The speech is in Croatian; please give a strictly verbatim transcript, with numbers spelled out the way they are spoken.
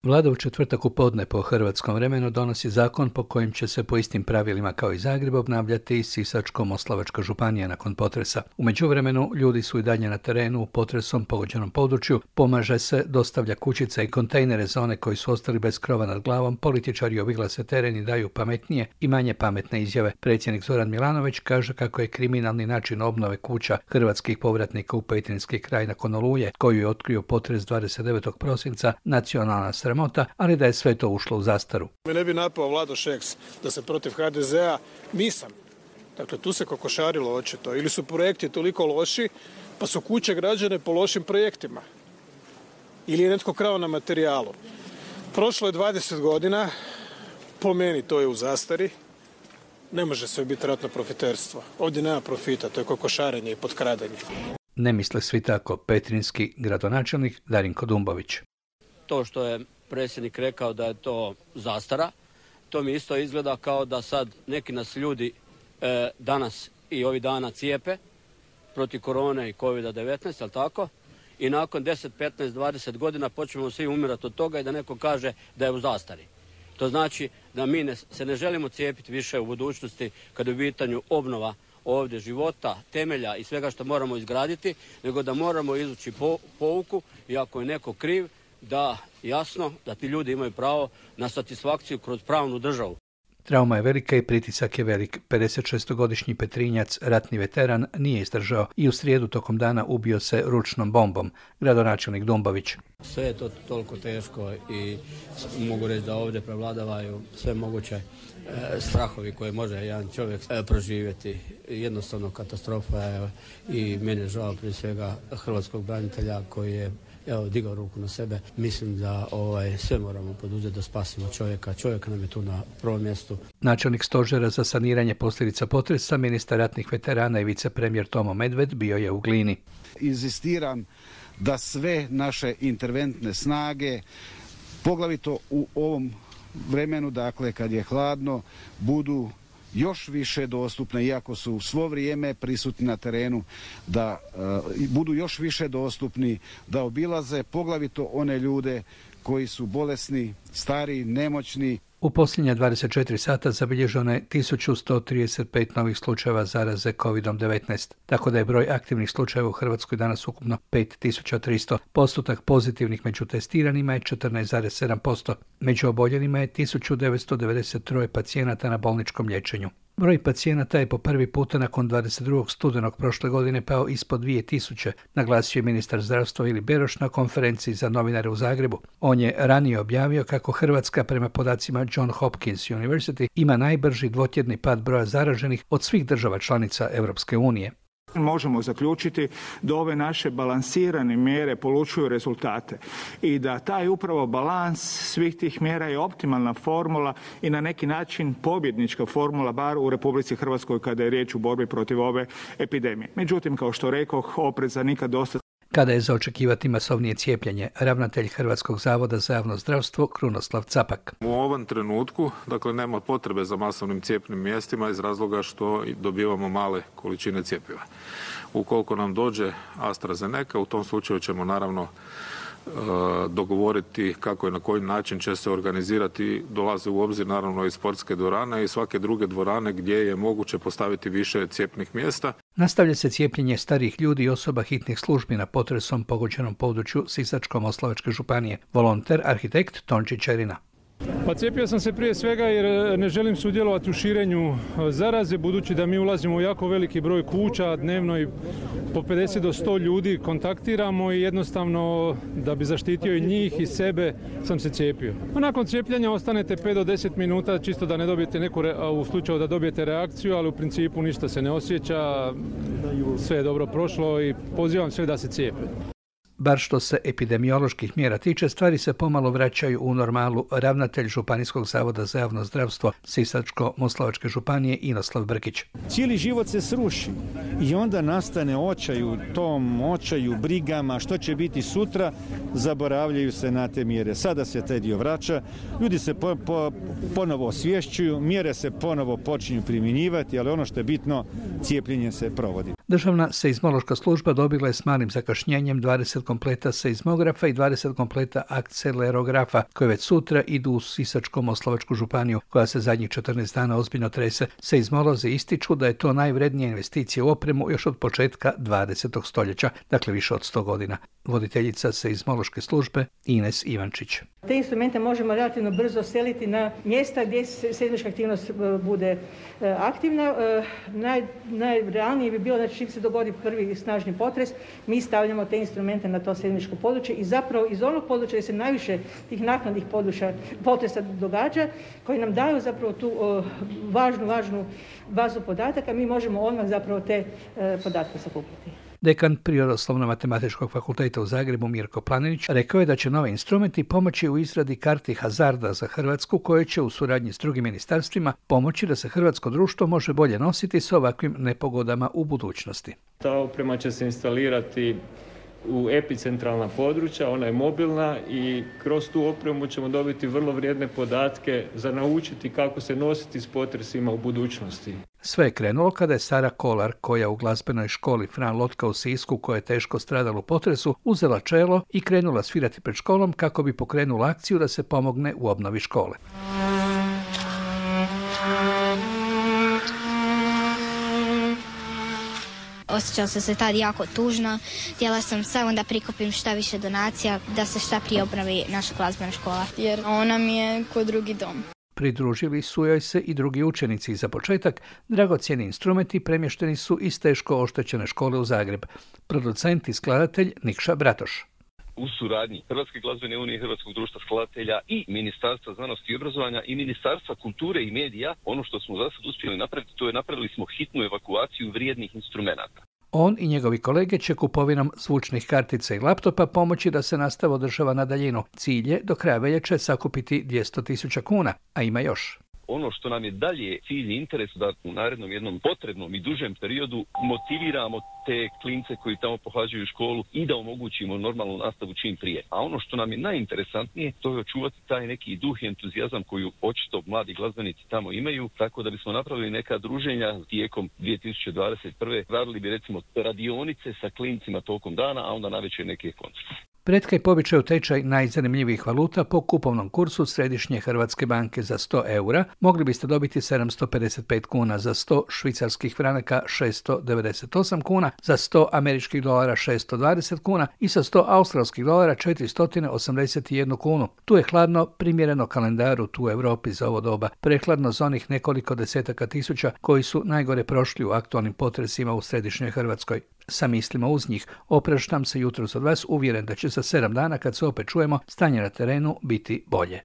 Vlada u četvrtak u podne po hrvatskom vremenu donosi zakon po kojem će se po istim pravilima kao i Zagreb obnavljati Sisačko-moslavačka županija nakon potresa. U međuvremenu ljudi su i dalje na terenu u potresom pogođenom području, pomaže se, dostavlja kućice i kontejnere za one koji su ostali bez krova nad glavom, političari obilaze teren i daju pametnije i manje pametne izjave. Predsjednik Zoran Milanović kaže kako je kriminalni način obnove kuća hrvatskih povratnika u Petrinjski kraj nakon oluje, koju je otkrio potres dvadeset devetog prosinca, nacionalna sramota, ali da je sve to ušlo u zastaru. Me ne bi napao Vlado Šeks da se protiv ha de zea, nisam. Dakle, tu se kokošarilo očito. Ili su projekti toliko loši, pa su kuće građane po lošim projektima. Ili je netko krao na materijalu. Prošlo je dvadeset godina, po meni to je u zastari. Ne može sve biti ratno profiterstvo. Ovdje nema profita, to je kokošarenje i potkradanje. Ne misle svi tako, petrinjski gradonačelnik Darinko Dumbović. To što je predsjednik rekao da je to zastara, to mi isto izgleda kao da sad neki nas ljudi e, danas i ovih dana cijepe protiv korone i kovid devetnaest, ali tako? I nakon deset, petnaest, dvadeset godina počnemo svi umirati od toga i da neko kaže da je u zastari. To znači da mi ne, se ne želimo cijepiti više u budućnosti kada je u pitanju obnova ovdje života, temelja i svega što moramo izgraditi, nego da moramo izvući po, pouku i ako je neko kriv, da jasno da ti ljudi imaju pravo na satisfakciju kroz pravnu državu. Trauma je velika i pritisak je velik. pedesetšestogodišnji Petrinjac, ratni veteran, nije izdržao i u srijedu tokom dana ubio se ručnom bombom. Gradonačelnik Dumbović. Sve je to toliko teško i mogu reći da ovdje prevladavaju sve moguće e, strahovi koje može jedan čovjek e, proživjeti. Jednostavno katastrofa je i meni je žao prije svega hrvatskog branitelja koji je evo, digao ruku na sebe. Mislim da ovaj, sve moramo poduzeti da spasimo čovjeka. Čovjek nam je tu na prvom mjestu. Načelnik stožera za saniranje posljedica potresa, ministar ratnih veterana i vicepremjer Tomo Medved bio je u Glini. Inzistiram da sve naše interventne snage, poglavito u ovom vremenu, dakle kad je hladno, budu još više dostupne, iako su svo vrijeme prisutni na terenu, da uh, budu još više dostupni, da obilaze poglavito one ljude koji su bolesni, stari, nemoćni. U posljednja dvadeset četiri sata zabilježeno je tisuću sto trideset pet novih slučajeva zaraze kovid devetnaest, tako da je broj aktivnih slučajeva u Hrvatskoj danas ukupno pet tisuća tristo. Postotak pozitivnih među testiranima je četrnaest zarez sedam posto. Među oboljelima je tisuću devetsto devedeset tri pacijenata na bolničkom liječenju. Broj pacijenata je po prvi puta nakon dvadeset drugog studenog prošle godine pao ispod dvije tisuće, naglasio je ministar zdravstva Vili Beroš na konferenciji za novinare u Zagrebu. On je ranije objavio kako Hrvatska prema podacima John Hopkins University ima najbrži dvotjedni pad broja zaraženih od svih država članica Europske unije. Možemo zaključiti da ove naše balansirane mjere polučuju rezultate i da taj upravo balans svih tih mjera je optimalna formula i na neki način pobjednička formula bar u Republici Hrvatskoj kada je riječ u borbi protiv ove epidemije. Međutim, kao što rekoh, opreza nikad dosta. Kada je za očekivati masovnije cijepljenje, ravnatelj Hrvatskog zavoda za javno zdravstvo Krunoslav Capak. U ovom trenutku, dakle, nema potrebe za masovnim cijepnim mjestima iz razloga što dobivamo male količine cjepiva. Ukoliko nam dođe AstraZeneca, u tom slučaju ćemo naravno dogovoriti kako i na koji način će se organizirati. Dolaze u obzir naravno i sportske dvorane i svake druge dvorane gdje je moguće postaviti više cijepnih mjesta. Nastavlja se cijepljenje starijih ljudi i osoba hitnih službi na potresom pogođenom području Sisačko-moslavačke županije. Volonter, arhitekt Tonči Čerina. Pa cijepio sam se prije svega jer ne želim sudjelovati u širenju zaraze, budući da mi ulazimo u jako veliki broj kuća, dnevno i po pedeset do sto ljudi kontaktiramo i jednostavno da bi zaštitio i njih i sebe sam se cijepio. A nakon cijepljenja ostanete pet do deset minuta čisto da ne dobijete neku, u slučaju da dobijete reakciju, ali u principu ništa se ne osjeća, sve je dobro prošlo i pozivam sve da se cijepe. Bar što se epidemioloških mjera tiče, stvari se pomalo vraćaju u normalu. Ravnatelj Županijskog zavoda za javno zdravstvo Sisačko-moslavačke županije Inoslav Brkić. Cijeli život se sruši i onda nastane očaj u tom očaju, brigama, što će biti sutra, zaboravljaju se na te mjere. Sada se taj dio vraća, ljudi se po, po, ponovo osvješćuju, mjere se ponovo počinju primjenjivati, ali ono što je bitno, cijepljenje se provodi. Državna seizmološka služba dobila je s malim zakašnjenjem dvadeset kompleta seizmografa i dvadeset kompleta akcelerografa, koje već sutra idu u Sisačko-moslavačku županiju, koja se zadnjih četrnaest dana ozbiljno trese. Seizmolozi ističu da je to najvrednija investicija u opremu još od početka dvadesetog stoljeća, dakle više od sto godina. Voditeljica seizmološke službe Ines Ivančić. Te instrumente možemo relativno brzo seliti na mjesta gdje seizmička aktivnost bude aktivna. Naj, najrealnije bi bilo da čim se dogodi prvi snažni potres, mi stavljamo te instrumente na to seizmičko područje i zapravo iz onog područja gdje se najviše tih naknadnih područja potresa događa, koji nam daju zapravo tu važnu, važnu bazu podataka, mi možemo odmah zapravo te podatke sakupiti. Dekan Prirodoslovno-matematičkog fakulteta u Zagrebu Mirko Planinić rekao je da će novi instrumenti pomoći u izradi karti hazarda za Hrvatsku, koje će u suradnji s drugim ministarstvima pomoći da se hrvatsko društvo može bolje nositi s ovakvim nepogodama u budućnosti. Ta oprema će se instalirati u epicentralna područja, ona je mobilna i kroz tu opremu ćemo dobiti vrlo vrijedne podatke za naučiti kako se nositi s potresima u budućnosti. Sve je krenulo kada je Sara Kolar, koja u glazbenoj školi Fran Lotka u Sisku, koja je teško stradala u potresu, uzela čelo i krenula svirati pred školom kako bi pokrenula akciju da se pomogne u obnovi škole. Osjećala sam se tad jako tužno, htjela sam samo da prikupim šta više donacija, da se šta prije obnovi naša glazbena škola. Jer ona mi je ko drugi dom. Pridružili su joj se i drugi učenici. Za početak, dragocjeni instrumenti premješteni su iz teško oštećene škole u Zagreb. Producent i skladatelj Nikša Bratoš. U suradnji Hrvatske glazbene unije, Hrvatskog društva skladatelja i Ministarstva znanosti i obrazovanja i Ministarstva kulture i medija, ono što smo za sad uspjeli napraviti, to je napravili smo hitnu evakuaciju vrijednih instrumenata. On i njegovi kolege će kupovinom zvučnih kartica i laptopa pomoći da se nastava održava na daljinu. Cilj je do kraja veljače sakupiti dvjesto tisuća kuna, a ima još. Ono što nam je dalje cilj i interes da u narednom jednom potrebnom i dužem periodu motiviramo te klince koji tamo pohađaju školu i da omogućimo normalnu nastavu čim prije. A ono što nam je najinteresantnije, to je očuvati taj neki duh i entuzijazam koju očito mladi glazbenici tamo imaju, tako da bismo napravili neka druženja tijekom dvije tisuće dvadeset prve. Radili bi recimo radionice sa klincima tokom dana, a onda navečer neke koncerte. Pretkaj po običaju tečaj najzanimljivijih valuta po kupovnom kursu Središnje Hrvatske banke. Za sto eura mogli biste dobiti sedamsto pedeset pet kuna, za sto švicarskih franaka šesto devedeset osam kuna, za sto američkih dolara šesto dvadeset kuna i sa sto australskih dolara četiristo osamdeset jedan kunu. Tu je hladno, primjereno kalendaru tu u Europi za ovo doba, prehladno za onih nekoliko desetaka tisuća koji su najgore prošli u aktualnim potresima u Središnjoj Hrvatskoj. Sa mislima uz njih opraštam se jutros od vas, uvjeren da će za sedam dana, kad se opet čujemo, stanje na terenu biti bolje.